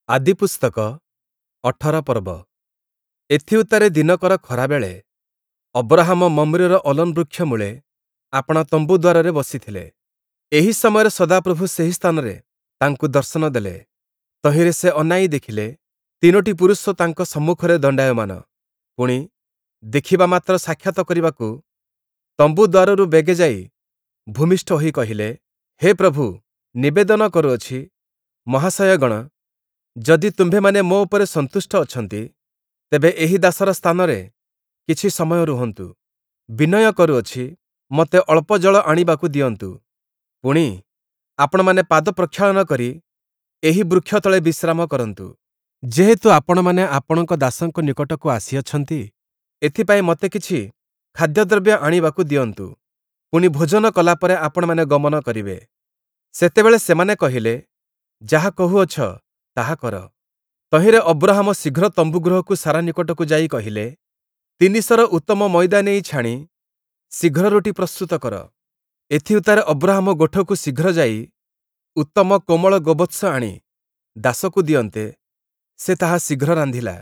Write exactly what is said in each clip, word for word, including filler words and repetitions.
ଆଦିପୁସ୍ତକ ଅଠର ପର୍ବ। ଏଥିଉତ୍ତାରେ ଦିନକର ଖରାବେଳେ ଅବ୍ରହାମ ମମ୍ରେର ଅଲୋନ୍ ବୃକ୍ଷ ମୂଳେ ଆପଣା ତମ୍ବୁ ଦ୍ଵାରରେ ବସିଥିଲେ। ଏହି ସମୟରେ ସଦାପ୍ରଭୁ ସେହି ସ୍ଥାନରେ ତାଙ୍କୁ ଦର୍ଶନ ଦେଲେ। ତହିଁରେ ସେ ଅନାଇ ଦେଖିଲେ, ତିନୋଟି ପୁରୁଷ ତାଙ୍କ ସମ୍ମୁଖରେ ଦଣ୍ଡାୟମାନ। ପୁଣି, ଦେଖିବା ମାତ୍ର ସାକ୍ଷାତ କରିବାକୁ ତମ୍ବୁ ଦ୍ଵାରରୁ ବେଗେ ଯାଇ ଭୂମିଷ୍ଠ ହୋଇ କହିଲେ, ହେ ପ୍ରଭୁ, ନିବେଦନ କରୁଅଛି, ମହାଶୟଗଣ, ଯଦି ତୁମ୍ଭେମାନେ ମୋ ଉପରେ ସନ୍ତୁଷ୍ଟ ଅଛନ୍ତି, ତେବେ ଏହି ଦାସର ସ୍ଥାନରେ କିଛି ସମୟ ରୁହନ୍ତୁ। ବିନୟ କରୁଅଛି, ମୋତେ ଅଳ୍ପ ଜଳ ଆଣିବାକୁ ଦିଅନ୍ତୁ। ପୁଣି, ଆପଣମାନେ ପାଦ ପ୍ରକ୍ଷାଳନ କରି ଏହି ବୃକ୍ଷ ତଳେ ବିଶ୍ରାମ କରନ୍ତୁ। ଯେହେତୁ ଆପଣମାନେ ଆପଣଙ୍କ ଦାସଙ୍କ ନିକଟକୁ ଆସିଅଛନ୍ତି, ଏଥିପାଇଁ ମୋତେ କିଛି ଖାଦ୍ୟଦ୍ରବ୍ୟ ଆଣିବାକୁ ଦିଅନ୍ତୁ। ପୁଣି ଭୋଜନ କଲା ପରେ ଆପଣମାନେ ଗମନ କରିବେ। ସେତେବେଳେ ସେମାନେ କହିଲେ, ଯାହା କହୁଅଛ, ତାହା କର। ତହିଁରେ ଅବ୍ରହାମ ଶୀଘ୍ର ତମ୍ବୁ ଗୃହକୁ ସାରା ନିକଟକୁ ଯାଇ କହିଲେ, ତିନି ସେର ଉତ୍ତମ ମଇଦା ନେଇ ଛାଣି ଶୀଘ୍ର ରୋଟି ପ୍ରସ୍ତୁତ କର। ଏଥିଉତ୍ତାରେ ଅବ୍ରହାମ ଗୋଠକୁ ଶୀଘ୍ର ଯାଇ ଉତ୍ତମ କୋମଳ ଗୋବତ୍ସ ଆଣି ଦାସକୁ ଦିଅନ୍ତେ, ସେ ତାହା ଶୀଘ୍ର ରାନ୍ଧିଲା।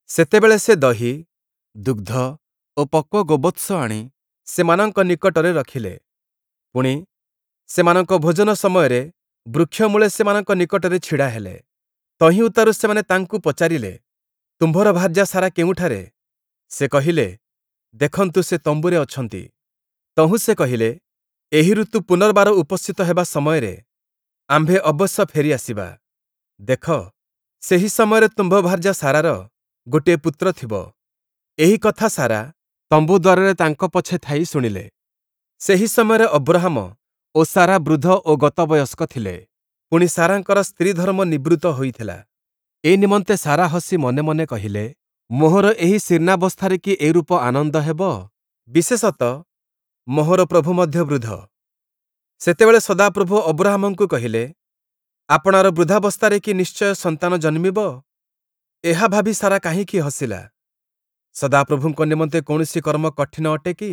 ସେତେବେଳେ ସେ ଦହି, ଦୁଗ୍ଧ ଓ ପକ୍ୱ ଗୋବତ୍ସ ଆଣି ସେମାନଙ୍କ ନିକଟରେ ରଖିଲେ। ପୁଣି, ସେମାନଙ୍କ ଭୋଜନ ସମୟରେ ବୃକ୍ଷମୂଳେ ସେମାନଙ୍କ ନିକଟରେ ଛିଡ଼ା ହେଲେ। ତହିଁ ଉତ୍ତାରୁ ସେମାନେ ତାଙ୍କୁ ପଚାରିଲେ, ତୁମ୍ଭର ଭାର୍ଯ୍ୟା ସାରା କେଉଁଠାରେ? ସେ କହିଲେ, ଦେଖନ୍ତୁ, ସେ ତମ୍ବୁରେ ଅଛନ୍ତି। ତହୁଁ ସେ କହିଲେ, ଏହି ଋତୁ ପୁନର୍ବାର ଉପସ୍ଥିତ ହେବା ସମୟରେ ଆମ୍ଭେ ଅବଶ୍ୟ ଫେରି ଆସିବା। ଦେଖ, ସେହି ସମୟରେ ତୁମ୍ଭ ଭାର୍ଯ୍ୟା ସାରାର ଗୋଟିଏ ପୁତ୍ର ଥିବ। ଏହି କଥା ସାରା ତମ୍ବୁ ଦ୍ୱାରରେ ତାଙ୍କ ପଛେ ଥାଇ ଶୁଣିଲେ। ସେହି ସମୟରେ ଅବ୍ରହାମ ଓ ସାରା ବୃଦ୍ଧ ଓ ଗତବୟସ୍କ ଥିଲେ। ପୁଣି ସାରାଙ୍କର ସ୍ତ୍ରୀଧର୍ମ ନିବୃତ୍ତ ହୋଇଥିଲା। ଏ ନିମନ୍ତେ ସାରା ହସି ମନେ ମନେ କହିଲେ, ମୋହର ଏହି ଶୀର୍ଣ୍ଣାବସ୍ଥାରେ କି ଏରୂପ ଆନନ୍ଦ ହେବ? ବିଶେଷତଃ ମୋହର ପ୍ରଭୁ ମଧ୍ୟ ବୃଦ୍ଧ। ସେତେବେଳେ ସଦାପ୍ରଭୁ ଅବ୍ରହାମଙ୍କୁ କହିଲେ, ଆପଣାର ବୃଦ୍ଧାବସ୍ଥାରେ କି ନିଶ୍ଚୟ ସନ୍ତାନ ଜନ୍ମିବ? ଏହା ଭାବି ସାରା କାହିଁକି ହସିଲା? ସଦାପ୍ରଭୁଙ୍କ ନିମନ୍ତେ କୌଣସି କର୍ମ କଠିନ ଅଟେ କି?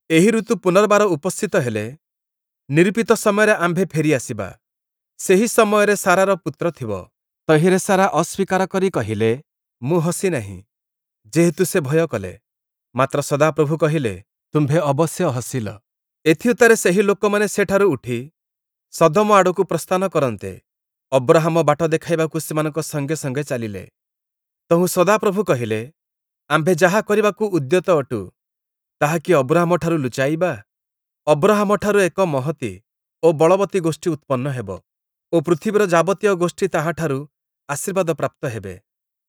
ଏହି ଋତୁ ପୁନର୍ବାର ଉପସ୍ଥିତ ହେଲେ ନିରୂପିତ ସମୟରେ ଆମ୍ଭେ ଫେରି ଆସିବା। ସେହି ସମୟରେ ସାରାର ପୁତ୍ର ଥିବ। ତହିଁରେ ସାରା ଅସ୍ଵୀକାର କରି କହିଲେ, ମୁଁ ହସି ନାହିଁ। ଯେହେତୁ ସେ ଭୟ କଲେ। ମାତ୍ର ସଦାପ୍ରଭୁ କହିଲେ, ତୁମ୍ଭେ ଅବଶ୍ୟ ହସିଲ। ଏଥିଉତ୍ତାରେ ସେହି ଲୋକମାନେ ସେଠାରୁ ଉଠି ସଦୋମ ଆଡ଼କୁ ପ୍ରସ୍ଥାନ କରନ୍ତେ, ଅବ୍ରହାମ ବାଟ ଦେଖାଇବାକୁ ସେମାନଙ୍କ ସଙ୍ଗେ ସଙ୍ଗେ ଚାଲିଲେ। ତହୁଁ ସଦାପ୍ରଭୁ କହିଲେ, ଆମ୍ଭେ ଯାହା କରିବାକୁ ଉଦ୍ୟତ ଅଟୁ, ତାହା କି ଅବ୍ରହାମଠାରୁ ଲୁଚାଇବା? ଅବ୍ରହାମଠାରୁ ଏକ ମହତୀ ଓ ବଳବତୀ ଗୋଷ୍ଠୀ ଉତ୍ପନ୍ନ ହେବ ଓ ପୃଥିବୀର ଯାବତୀୟ ଗୋଷ୍ଠୀ ତାହାଠାରୁ ଆଶୀର୍ବାଦ ପ୍ରାପ୍ତ ହେବେ।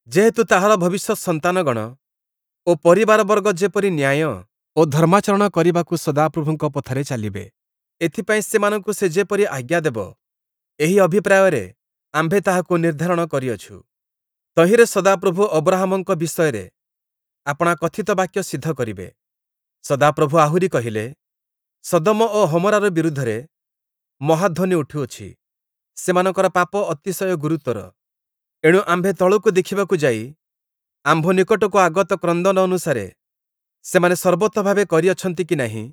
ଯେହେତୁ ତାହାର ଭବିଷ୍ୟତ୍ ସନ୍ତାନଗଣ ଓ ପରିବାରବର୍ଗ ଯେପରି ନ୍ୟାୟ ଓ ଧର୍ମାଚରଣ କରିବାକୁ ସଦାପ୍ରଭୁଙ୍କ ପଥରେ ଚାଲିବେ, ଏଥିପାଇଁ ସେମାନଙ୍କୁ ସେ ଯେପରି ଆଜ୍ଞା ଦେବ, ଏହି ଅଭିପ୍ରାୟରେ ଆମ୍ଭେ ତାହାକୁ ନିର୍ଦ୍ଧାରଣ କରିଅଛୁ। ତହିଁରେ ସଦାପ୍ରଭୁ ଅବ୍ରହାମଙ୍କ ବିଷୟରେ ଆପଣା କଥିତ ବାକ୍ୟ ସିଦ୍ଧ କରିବେ। ସଦାପ୍ରଭୁ ଆହୁରି କହିଲେ, ସଦୋମ ଓ ଗମୋରାର ବିରୁଦ୍ଧରେ ମହାଧ୍ୱନି ଉଠୁଅଛି, ସେମାନଙ୍କର ପାପ ଅତିଶୟ ଗୁରୁତର। ଏଣୁ ଆମ୍ଭେ ତଳକୁ ଦେଖିବାକୁ ଯାଇ ଆମ୍ଭ ନିକଟକୁ ଆଗତ କ୍ରନ୍ଦନ ଅନୁସାରେ ସେମାନେ ସର୍ବତୋଭାବେ କରିଅଛନ୍ତି କି ନାହିଁ,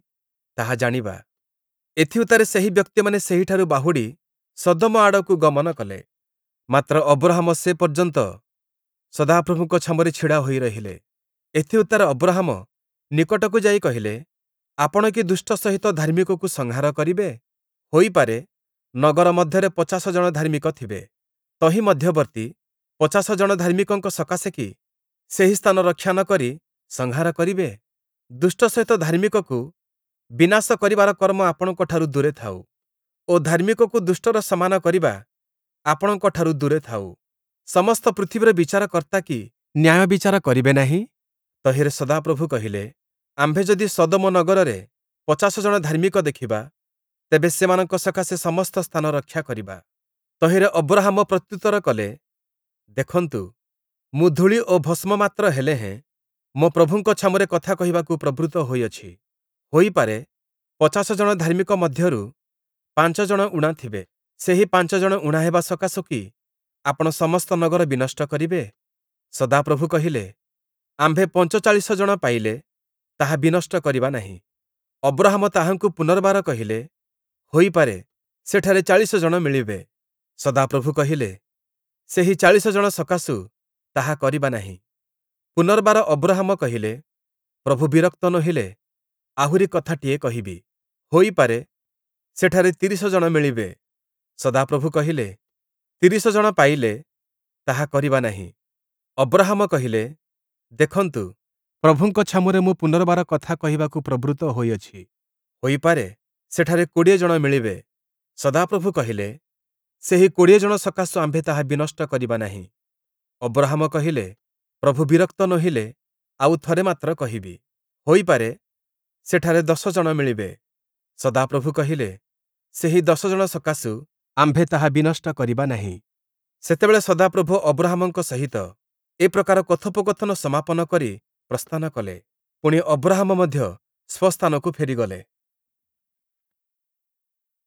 ତାହା ଜାଣିବା। ଏଥିଉତ୍ତାରେ ସେହି ବ୍ୟକ୍ତିମାନେ ସେହିଠାରୁ ବାହୁଡ଼ି ସଦୋମ ଆଡ଼କୁ ଗମନ କଲେ। ମାତ୍ର ଅବ୍ରହାମ ସେ ପର୍ଯ୍ୟନ୍ତ ସଦାପ୍ରଭୁଙ୍କ ଛାମୁରେ ଛିଡ଼ା ହୋଇ ରହିଲେ। ଏଥିଉତ୍ତାରେ ଅବ୍ରହାମ ନିକଟକୁ ଯାଇ କହିଲେ, ଆପଣ କି ଦୁଷ୍ଟ ସହିତ ଧାର୍ମିକକୁ ସଂହାର କରିବେ? ହୋଇପାରେ, ନଗର ମଧ୍ୟରେ ପଚାଶ ଜଣ ଧାର୍ମିକ ଥିବେ। ତହିଁ ମଧ୍ୟବର୍ତ୍ତୀ ପଚାଶ ଜଣ ଧାର୍ମିକଙ୍କ ସକାଶେ କି ସେହି ସ୍ଥାନ ରକ୍ଷା ନ କରି ସଂହାର କରିବେ? ଦୁଷ୍ଟ ସହିତ ଧାର୍ମିକକୁ ବିନାଶ କରିବାର କର୍ମ ଆପଣଙ୍କଠାରୁ ଦୂରେ ଥାଉ ଓ ଧାର୍ମିକକୁ ଦୁଷ୍ଟର ସମାନ କରିବା ଆପଣଙ୍କଠାରୁ ଦୂରେ ଥାଉ। ସମସ୍ତ ପୃଥିବୀର ବିଚାରକର୍ତ୍ତା କି ନ୍ୟାୟ ବିଚାର କରିବେ ନାହିଁ? ତହିଁରେ ସଦାପ୍ରଭୁ କହିଲେ, ଆମ୍ଭେ ଯଦି ସଦୋମ ନଗରରେ ପଚାଶ ଜଣ ଧାର୍ମିକ ଦେଖିବା, ତେବେ ସେମାନଙ୍କ ସକାଶେ ସମସ୍ତ ସ୍ଥାନ ରକ୍ଷା କରିବା। ତହିଁରେ ଅବ୍ରହାମ ପ୍ରତ୍ୟୁତ୍ତର କଲେ, ଦେଖନ୍ତୁ, ମୁଁ ଧୂଳି ଓ ଭସ୍ମ ମାତ୍ର ହେଲେ ହେଁ ମୋ ପ୍ରଭୁଙ୍କ ଛାମୁରେ କଥା କହିବାକୁ ପ୍ରବୃତ୍ତ ହୋଇଅଛି। ହୋଇପାରେ, ପଚାଶ ଜଣ ଧାର୍ମିକ ମଧ୍ୟରୁ ପାଞ୍ଚ ଜଣ ଊଣା ଥିବେ। ସେହି ପାଞ୍ଚ ଜଣ ଊଣା ହେବା ସକାଶୁ କି ଆପଣ ସମସ୍ତ ନଗର ବିନଷ୍ଟ କରିବେ? ସଦାପ୍ରଭୁ କହିଲେ, ଆମ୍ଭେ ପଞ୍ଚଚାଳିଶ ଜଣ ପାଇଲେ ତାହା ବିନଷ୍ଟ କରିବା ନାହିଁ। ଅବ୍ରହାମ ତାହାଙ୍କୁ ପୁନର୍ବାର କହିଲେ, ହୋଇପାରେ, ସେଠାରେ ଚାଳିଶ ଜଣ ମିଳିବେ। ସଦାପ୍ରଭୁ କହିଲେ, ସେହି ଚାଳିଶ ଜଣ ସକାଶୁ ତାହା କରିବା ନାହିଁ। ପୁନର୍ବାର ଅବ୍ରହାମ କହିଲେ, ପ୍ରଭୁ ବିରକ୍ତ ନୋହିଲେ ଆହୁରି କଥାଟିଏ କହିବି। ହୋଇପାରେ, ସେଠାରେ ତିରିଶ ଜଣ ମିଳିବେ। ସଦାପ୍ରଭୁ କହିଲେ, ତିରିଶ ଜଣ ପାଇଲେ ତାହା କରିବା ନାହିଁ। ଅବ୍ରହାମ କହିଲେ, ଦେଖନ୍ତୁ, ପ୍ରଭୁଙ୍କ ଛାମୁରେ ମୁଁ ପୁନର୍ବାର କଥା କହିବାକୁ ପ୍ରବୃତ୍ତ ହୋଇଅଛି। ହୋଇପାରେ, ସେଠାରେ କୋଡ଼ିଏ ଜଣ ମିଳିବେ। ସଦାପ୍ରଭୁ କହିଲେ, ସେହି କୋଡ଼ିଏ ଜଣ ସକାଶୁ ଆମ୍ଭେ ତାହା ବିନଷ୍ଟ କରିବା ନାହିଁ। ଅବ୍ରହାମ କହିଲେ, ପ୍ରଭୁ ବିରକ୍ତ ନୋହିଲେ ଆଉ ଥରେ ମାତ୍ର କହିବି। ହୋଇପାରେ, ସେଠାରେ ଦଶ ଜଣ ମିଳିବେ। ସଦାପ୍ରଭୁ କହିଲେ, ସେହି ଦଶ ଜଣ ସକାଶୁ ଆମ୍ଭେ ତାହା ବିନଷ୍ଟ କରିବା ନାହିଁ। ସେତେବେଳେ ସଦାପ୍ରଭୁ ଅବ୍ରହାମଙ୍କ ସହିତ ଏ ପ୍ରକାର କଥୋପକଥନ ସମାପନ କରି ପ୍ରସ୍ଥାନ କଲେ। ପୁଣି, ଅବ୍ରହାମ ମଧ୍ୟ ସ୍ୱସ୍ଥାନକୁ ଫେରିଗଲେ।